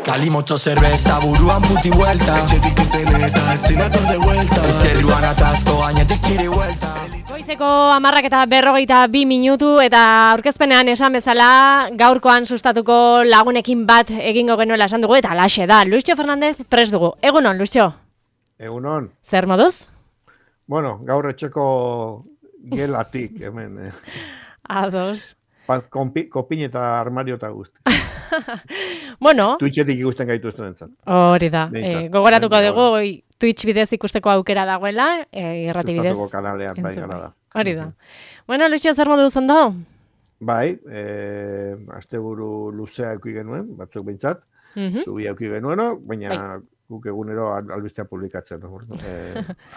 Cali mucho cerveza, buruan puti vuelta. Etxetik eteneta, etzinator de vuelta. Zerruan atazko, gainetik txiri vuelta. Goizeko 10:42 eta aurkezpenean esan bezala gaurkoan sustatuko lagunekin bat egingo genuela esan dugu eta alaxe da. Luisio Fernandez prest dugu. Egunon, Luisio? Egunon. Zer moduz? Bueno, gaur etxeko gelatik, hemen. Ados. Kopin eta armario eta guzti. Bueno. Twitchetik ikusten gaituzten entzat. Hori da. Gogoratuko dugu, Twitch bidez ikusteko aukera dagoela, irrati bidez. Sustatuko kanalean bai gara da. Hori da. Bueno, Luisio, zer moduz ondo? Bai, asteburu luzea eduki genuen, batzuk behintzat. Zubi eduki genuen, baina guk egunero albistea publikatzen,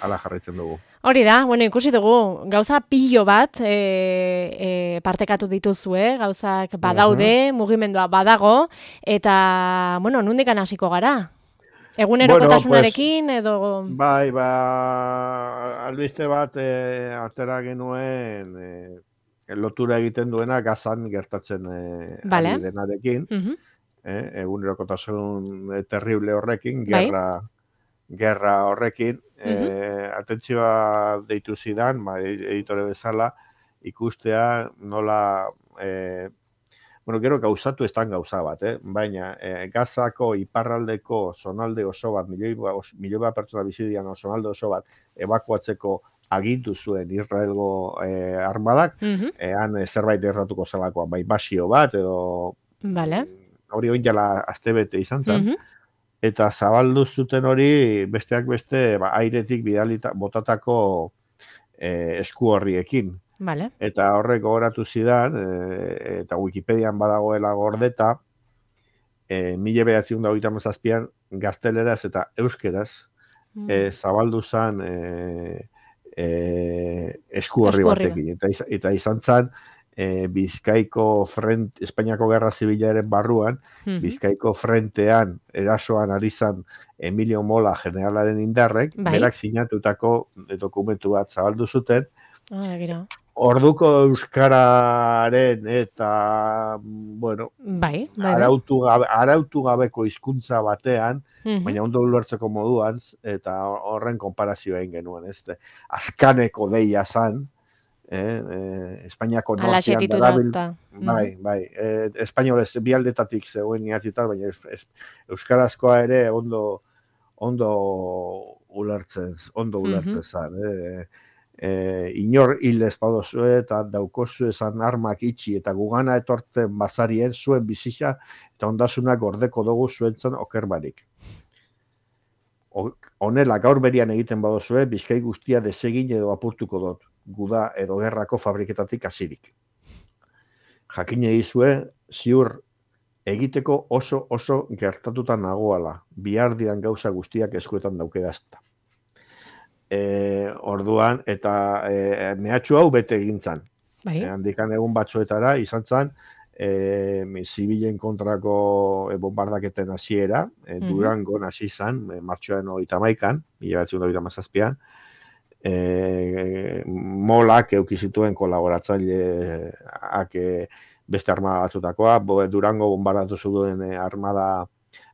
ala jarraitzen dugu. Hori da, bueno, ikusi dugu, gauza pilo bat partekatu dituzue, gauzak badaude, mugimendua badago, eta, bueno, nundikan hasiko gara? Egunerokotasunarekin edo... Bai, albiste bat atera genuen lotura egiten duena gazan gertatzen ari denarekin. Egunerokotasun terrible horrekin, gerra horrekin, atentzioa deitu zidan, editore bezala, ikustea nola, gero gauzatu estan gauza bat, baina Gazako iparraldeko zonalde oso bat, milioi bat pertsona bizidian zonalde oso bat, ebakuatzeko agindu zuen Israelgo armadak, han zerbait erratuko zelakoa, bai basio bat, edo... Hori oin jala astebete izan zen, eta zabaldu zuten hori besteak beste airetik bidalita botatako esku horriekin. Eta horrek gogoratu zidan, eta Wikipedian badagoela gordeta, 1937an gazteleraz eta euskeraz zabaldu zen esku horri batekin. Eta izan zen, Bizkaiko Espainiako Gerra Zibilaren barruan, Bizkaiko frentean erasoan ari zan Emilio Mola generalaren indarrek, berak sinatutako dokumentu bat zabaldu zuten. Orduko euskararen eta, arautu gabeko hizkuntza batean, baina ondo ulertzeko moduan, eta horren konparazioa egin genuen, azkaneko deia zan, Espainiako nortean darabil, espainolez bialdetatik zegoen iatzitar, baina euskarazkoa ere ondo ulertzen zan. Inor hil espadozue eta daukozu esan armak itxi eta gugana etortzen bazarien zuen bizitza eta ondasunak gordeko dugu zuentzen okerbarik. Honela gaur berian egiten badozue, Bizkai guztia desegin edo apurtuko dut, guda edo gerrako fabriketatik hasirik. Jakin edizue, ziur egiteko oso gertatuta nagoala, bihar diran gauza guztiak eskuetan daukedazta. Orduan, eta mehatxu hau bete egintzan. Handikan egun batzuetara, izan zan, zibilen kontrako bombardaketen hasiera, Durangon hasi zan, martxoaren 31an, 1937an, Molak eukizituen kolaboratzaileak beste armada batzutakoa, Durango bombardatu zuen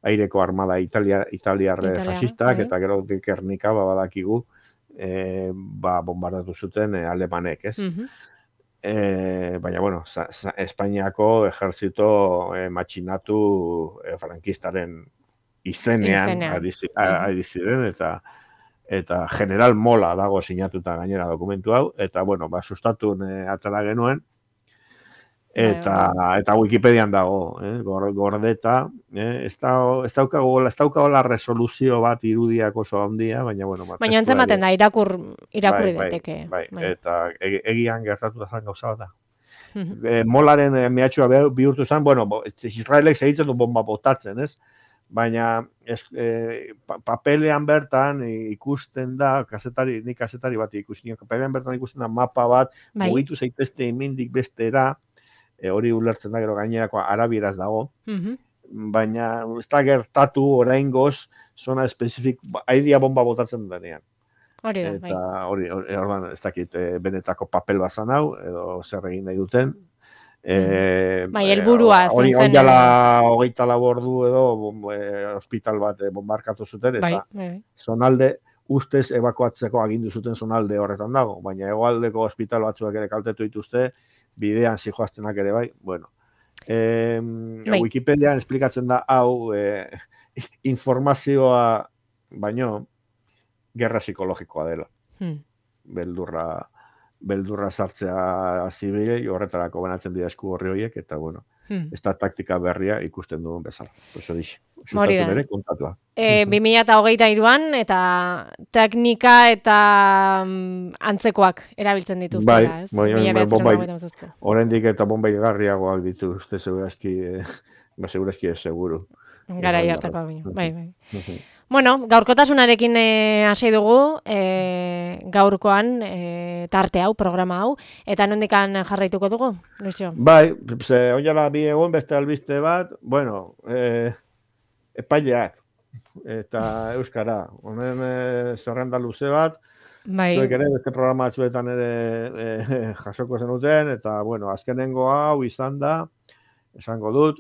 aireko armada italiarre fascistak, eta gero Gernika badakigu bombardatu zuten alemanek, ez? Baina, Espainiako ejerzito matxinatu frankistaren izenean ari ziren, eta General Mola dago sinatuta gainera dokumentu hau, eta, sustatu atala genuen, eta Wikipedian dago, gordeta, ez daukago la resoluzio bat irudiak oso handia, baina, baina entzematen da, irakurri daiteke. Eta egian gertatu zan gauza da. Molaren mehatxua bihurtu zen, Israelek segitzen du bomba botatzen, ez? Baina papelean bertan ikusten da, nik kazetari bat ikusten, papelean bertan ikusten da mapa bat, mugitu zaitezte emendik bestera, hori ulertzen da gero gainerako arabieraz dago, baina ez da gertatu oraingoz zona espezifik, aidia bomba botatzen denean. Hori da, eta hori ez dakit benetako papel bazan hau, edo zer egin nahi duten, Bai, helburua hori zen. Jala 24 ordu edo hospital bat bombarkatu zuten, eta zonalde ustez ebakuatzeko agindu zuten zonalde horretan dago, baina hegoaldeko hospital batzuak ere kaltetu dituzte, bidean zijoaztenak ere bai, bueno. Wikipedian esplikatzen da hau informazioa baino gerra psikologikoa dela. Beldurra sartzea zibilei, horretarako benatzen dira esku horri horiek, eta bueno, ez da taktika berria ikusten duen bezala. Sustatu bere kontatua. 2023an eta teknika eta antzekoak erabiltzen dituztela, ez? Oraindik eta bombai garriagoak ditu, uste segurazki ez seguru. Garai hartakoa bai. Bueno, gaurkotasunarekin hasi dugu, gaurkoan tarte hau, programa hau, eta nondikan jarraituko dugu, Luisio? Bai, oinala bi egun beste albiste bat, bueno, epaileak eta euskara, honen zerrenda luze bat, zuek ere beste programa batzuetan ere jasoko zenuten, eta bueno, azkenengo hau izan da, esango dut,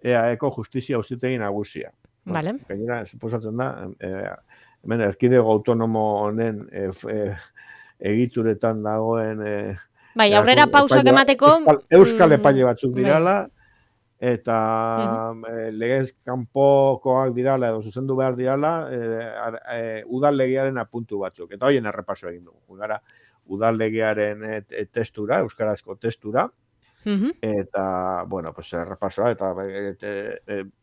EAEko justizia auzitegi nagusia. Vale. Gainera, suposatzen da, hemen erkidego autonomo honen egituretan dagoen bai, aurrera pausak emateko euskal epaile batzuk dirala, eta legez kanpokoak dirala edo zuzendu behar dirala, udal legearen apuntu batzuk, eta hoien errepaso egin dugu. Gara, udal legearen testura, euskarazko testura, eta, bueno, pues errepasoa, eta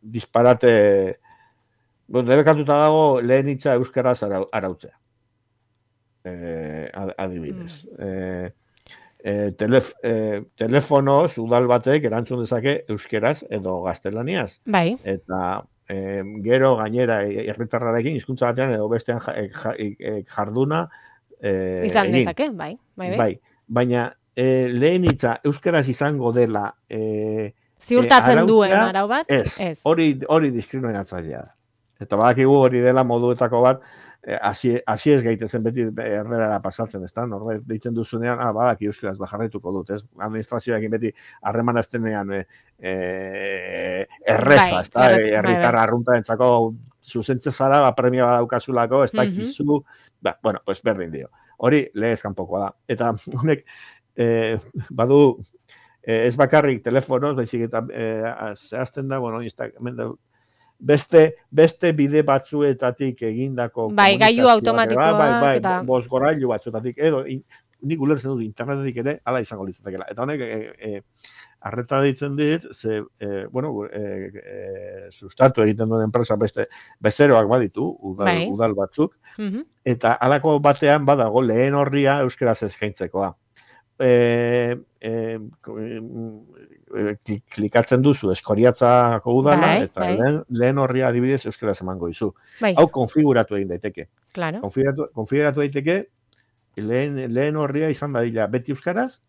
disparate debekatuta dago lehen hitza euskaraz arautzea. Adibidez. Telefonoz udal batek erantzun dezake euskeraz edo gaztelaniaz. Bai. Eta gero gainera herritarrarekin hizkuntza batean edo bestean jarduna izan dezake, bai. Baina lehen hitza euskaraz izango dela ziurtatzen duen arau bat? Ez. Hori diskriminatzailea da. Eta badakigu hori dela moduetako bat, hasi ez gaitezen beti errerara pasatzen, ez da? Norbait deitzen duzunean, badaki euskaraz jarraituko dut, ez? Administrazioekin beti harremana eztenean erreza, ez da? Herritarra arruntarentzako zuzentze zara, premia badaukazulako, ez da kizu, bueno, pues berdin dio. Hori lehez kanpokoa da. Eta honek badu ez bakarrik telefonoz, baizik eta zehazten da, bueno, beste bide batzuetatik egindako bai, gailu automatikoak eta bozgorailu batzuetatik edo nik ulertzen dut internetetik ere hala izango litzatekeela. Eta honek arreta ditzen dit, sustatu egiten duen enpresa bezeroak baditu, udal batzuk, eta halako batean badago lehen horria euskaraz eskaintzekoa. Klikatzen duzu Eskoriatzako udala, eta lehen horria adibidez euskaraz emango dizu. Hau konfiguratu egin daiteke. Konfiguratu daiteke, lehen horria izan dadila beti euskaraz,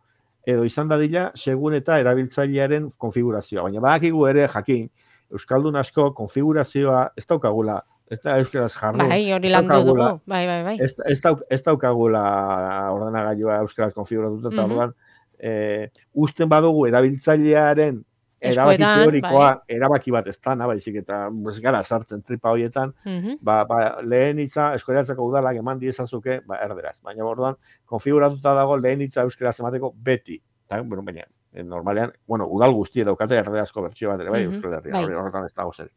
edo izan dadila segun eta erabiltzailearen konfigurazioa. Baina badakigu ere jakin, euskaldun asko konfigurazioa ez daukagula, ez da euskaraz jarri. Bai, hori landu dugu. Bai. Ez daukagula ordenagailua euskaraz konfiguratuta, eta orduan, usten badugu erabiltzailearen erabaki teorikoa, erabaki bat ez dana, baizik eta ez gara sartzen tripa horietan, lehen hitza Eskoriatzako udalak eman diezazuke, erderaz. Baina orduan, konfiguratuta dago lehen hitza euskaraz emateko beti. Baina, normalean, udal guzti daukate erderazko bertsio bat ere, bai, Euskal Herria, horretan ez dago zer.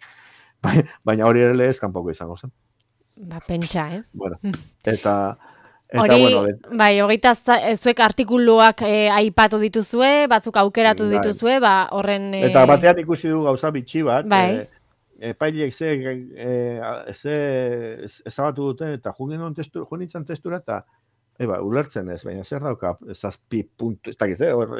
Baina hori ere lehez kanpoko izango zen. Pentsa, Bueno, eta hori, bai, hogeita zuek artikuluak aipatu dituzue, batzuk aukeratu dituzue, horren... Eta batean ikusi du gauza bitxi bat, epaileek ze ezabatu duten, eta junitzen testura, eta ulertzen ez, baina zer dauka zazpi puntu, ez dakit,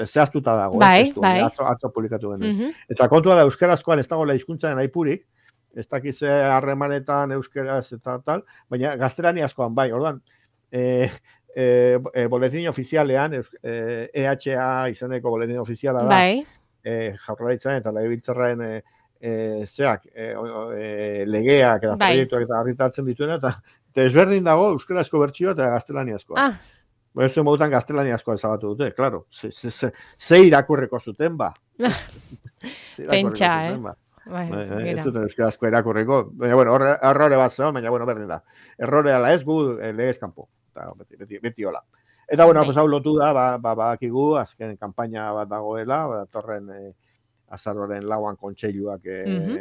zehaztuta dago, atzo publikatu genuen. Eta kontua da, euskarazkoan ez dagoela hizkuntzaren aipurik, ez dakit ze harremanetan euskaraz eta tal, baina gaztelaniazkoan bai, orduan, boletin ofizialean, EHA izeneko boletin ofiziala da, Jaurlaritzaren eta Legebiltzarraren zeak, legeak eta proiektuak eta argitaratzen dituena, eta ezberdin dago euskarazko bertsioa eta gaztelaniazkoa. Ez modutan gaztelania asko ezabatu dute, klaro. Ze irakurreko zuten, ba. Pentsa, Ez duten euskarazko irakurriko. Baina, bueno, errore bat zegoen, baina, bueno, berdin da. Errore ala ez gu legez kanpo. Beti hola. Eta, bueno, hau lotu da, bakigu, azken kanpaina bat dagoela, torren azaroren lauan kontseiluak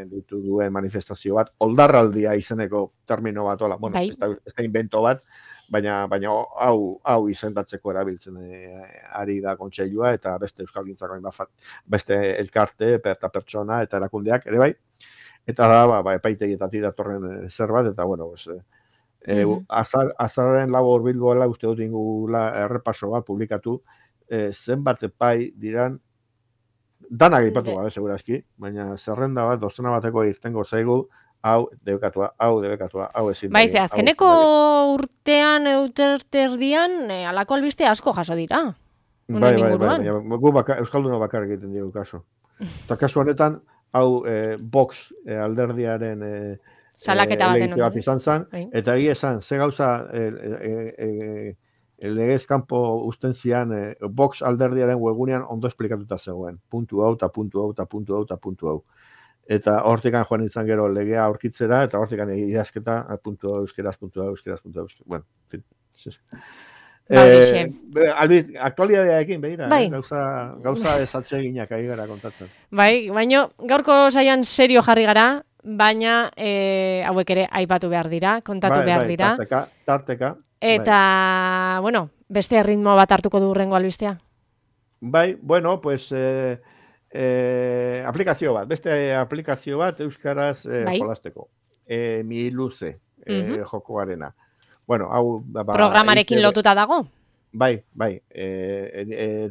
ditu duen manifestazio bat, oldarraldia izeneko termino bat, hola, bueno, ez da invento bat, baina hau izendatzeko erabiltzen ari da kontseilua, eta beste euskalgintzako beste elkarte, eta pertsona, eta erakundeak, ere bai, eta da, epaitegietatik datorren zerbait, eta, bueno, azaroren lau horbilgoela uste dut ingula errepaso bat publikatu, zenbat epai diran, danak ipatu gabe, segurazki, baina zerrenda bat, dozena bateko irtengo zaigu, hau debekatua, hau ezin. Baize, azkeneko urtean, euterdian, alako albiste asko jaso dira. Bai, gu Euskalduno bakar egiten dugu kaso. Eta kasu honetan, hau Vox alderdiaren salaketa bat izan zen, eta egia esan, ze gauza legez kanpo usten zian Vox alderdiaren webunean ondo esplikatuta zegoen. Puntu hau, eta puntu hau, eta puntu hau, eta puntu hau. Eta hortikan joan izan gero legea aurkitzera, eta hortikan idazketa, puntu hau, euskeraz, puntu hau, euskeraz, puntu hau, bueno, fin. Aktualidadearekin, behira, gauza esatzeginak ari gara kontatzen. Bai, baina gaurko saian serio jarri gara, baina hauek ere aipatu behar dira, kontatu behar dira. Tarteka. Eta, bueno, beste ritmo bat hartuko du hurrengo albistea? Bai, bueno, pues aplikazio bat, beste aplikazio bat euskaraz jolasteko. Mi luze jokoarena. Bueno, hau... Programarekin lotuta dago? Bai.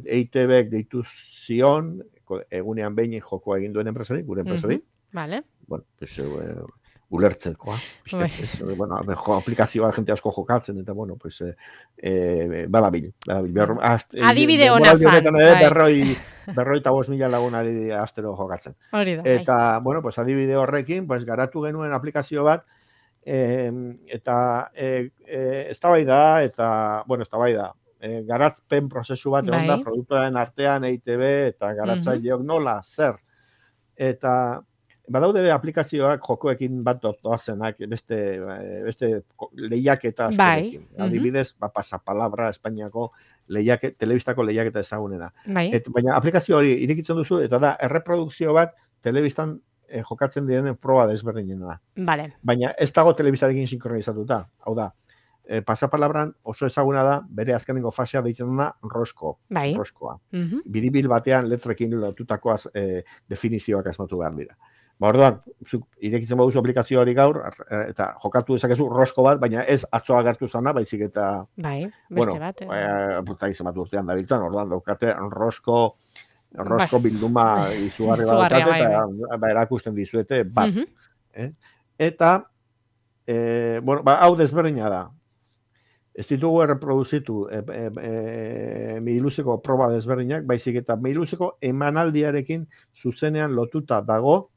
EITB-ek deitu zion, egunean behin jokoa egin duen enpresari, gure enpresari. Vale. Bueno, pues... ulertzekoa. Bueno, aplikazioa jente asko jokatzen, eta bueno, pues, badabil. Adibide hona fan. Berroi eta 5.000 lagunari astero jokatzen. Eta, bueno, pues, adibide horrekin, pues, garatu genuen aplikazio bat, eta eztabaida, garatzen prozesu bat egon da, produktuaren artean, EITB, eta garatzaileok nola, zer. Eta... Badaude aplikazioak jokoekin bat doazenak, beste lehiaketa askorekin. Adibidez, pasapalabra Espainiako telebistako lehiaketa ezagunena. Baina aplikazio hori irekitzen duzu, eta da, erreprodukzio bat telebistan jokatzen direnen proba desberdinena. Baina ez dago telebistarekin sinkronizatuta. Hau da, pasapalabran oso ezaguna da, bere azkenengo fasea deitzen dena roskoa. Biribil batean letrekin lotutako definizioak asmatu behar dira. Orduan, irekitzen baduzu aplikazio hori gaur, eta jokatu dezakezu rosko bat, baina ez atzoa gertu zana, baizik eta... beste bat. Eta izan bat urtean dabiltzan, orduan daukate rosko bilduma izugarri bat daukate, eta erakusten dizuete bat. Eta, bueno, hau desberdina da. Ez ditugu erreproduzitu Mihiluzeko proba desberdinak, baizik eta Mihiluzeko emanaldiarekin zuzenean lotuta dago,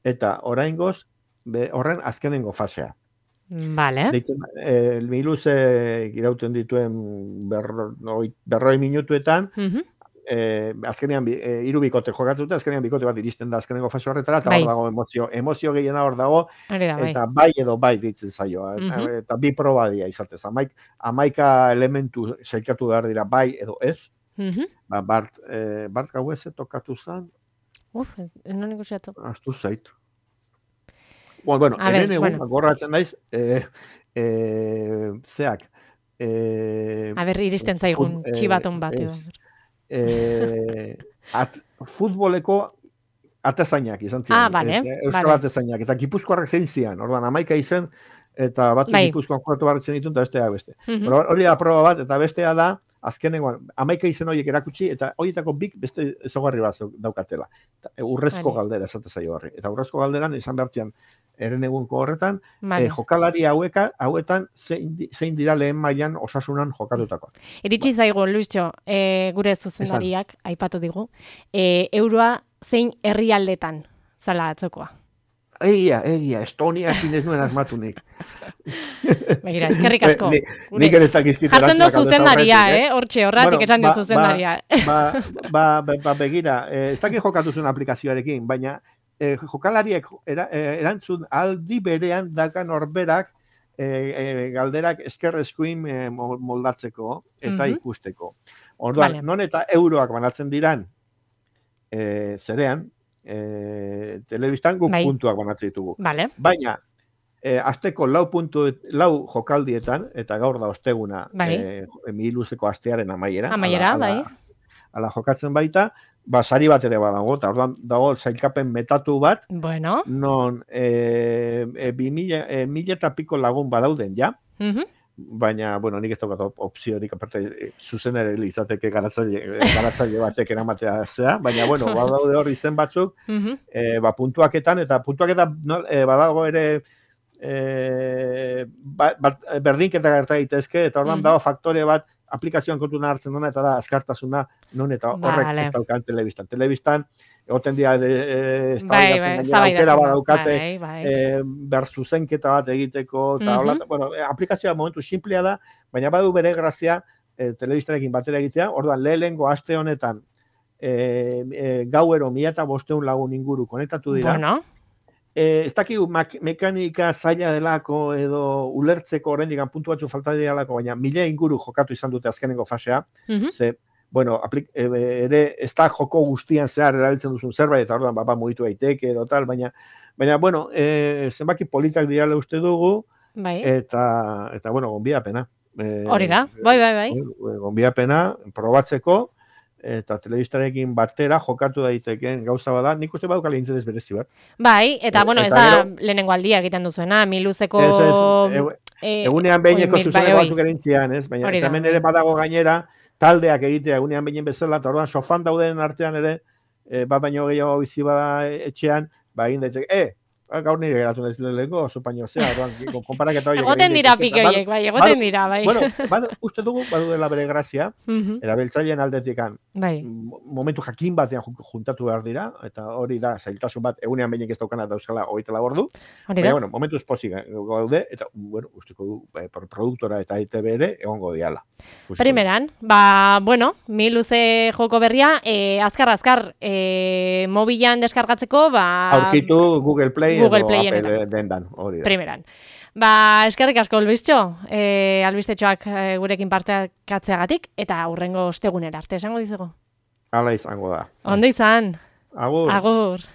eta oraingoz horren azkenengo fasea. Mihiluze irauten dituen 40 minutuetan, azkenean 3 bikote jokatzen dute, azkenean bikote bat iristen da azkenengo fase horretara, eta hor dago emozio gehiena hor dago, eta bai edo bai ditzen zaio, eta bi proba dira izatez. 11 elementu sailkatu behar dira bai edo ez, Bart Gaueze tokatu zen, non ikusiatzu. Aztu zait. Bueno, hemen egun, gorratzen naiz, zeak. Iristen zaigun txibaton bat edo. Futboleko atezainak izan ziren. Euskal atezainak. Eta Gipuzkoarrak zein zian. Orduan, 11 izen, eta batzu Gipuzkoan jokatu barritzen ditun, eta bestea beste. Hori da proba bat, eta bestea da, azkenengoan, 11 izen horiek erakutsi, eta horietako bik beste ezaugarri bat daukatela. Urrezko galdera esate zaio horri. Eta urrezko galderan, izan behartzean, eren egunko horretan, jokalari hauetan zein dira lehen mailan osasunan jokatutakoa. Iritsi zaigu, Luistxo, gure zuzendariak, aipatu digu, euroa zein herrialdetan zala atzokoa. Egia, Estoniakin ez nuen asmatunik. Begira, eskerrik asko. Nik ere ez dakizkit. Jartzen du zuzendaria, hortxe, horratik esan du zuzendaria. Begira, ez dakit jokatu zuen aplikazioarekin, baina jokalariek erantzun aldi berean dakan horberak galderak eskerrezkuin moldatzeko eta ikusteko. Orduan, non eta euroak banatzen diran zerean, telebistan guk puntuak banatzen ditugu. Baina, asteko 4 jokaldietan, eta gaur da osteguna, miluzeko astearen amaiera. Ala jokatzen baita, sari bat ere badago, eta orduan dago zailkapen metatu bat, non 1000 eta piko lagun badauden, ja? Baina, bueno, nik ez daukat opziorik, aparte, zuzen ere izateke garatzaile batek eramatea zea, baina, bueno, badaude hor izen batzuk, puntuaketan, eta puntuaketan badago ere berdinketa gerta daitezke, eta orduan dago faktore bat aplikazioan kontuna hartzen duna, eta da azkartasuna non eta horrek ez daukan telebistan. Telebistan, egoten dira aukera badaukate berzuzenketa bat egiteko, eta bueno, aplikazioa momentu simplea da, baina badu bere grazia telebistarekin batera egitea, orduan lehengo aste honetan gauero 1500 lagun inguru konektatu dira. Ez dakigu mekanika zaila delako edo ulertzeko oraindik puntu batzu falta direlako, baina 1000 inguru jokatu izan dute azkenengo fasea. Ze, bueno, ere ez da joko guztian zehar erabiltzen duzun zerbait, eta orduan mugitu daiteke edo tal, baina bueno, zenbaki politak direla uste dugu, eta bueno, gonbidapena. Hori da, bai. Gonbidapena, probatzeko, eta telebistarekin batera jokatu daiteken gauza bada, nik uste badukala interes berezi bat. Bai, eta bueno, ez da lehenengo aldia egiten duzuena, miluzeko... Egunean behineko zuzeneko batzuk erintzian, ez? Baina hemen ere badago gainera, taldeak egitea egunean behin bezala, eta orduan sofan dauden artean ere, bat baino gehiago bizi bada etxean, egin daiteke, gaur nire geratu nahi zileleko, oso paino zea, konparaketa horiek. Egoten dira pike horiek, egoten dira, bai. Bueno, uste dugu, badu dela bere grazia, erabiltzaileen aldetikan, momentu jakin batean juntatu behar dira, eta hori da, zailtasun bat, egunean behinek ez daukana dauzkala 24 ordu, baina, bueno, momentu espozik gaude, eta, bueno, usteko du, produktora eta ITB ere, egongo diala. Primeran, bueno, miluze joko berria, azkar, mobilan deskargatzeko, aurkitu Google Play edo Apple dendan, hori da. Primeran. Eskerrik asko, Albistxo, albistetxoak gurekin partekatzeagatik, eta hurrengo ostegunera arte, esango dizugu. Hala izango da. Ondo izan. Agur. Agur.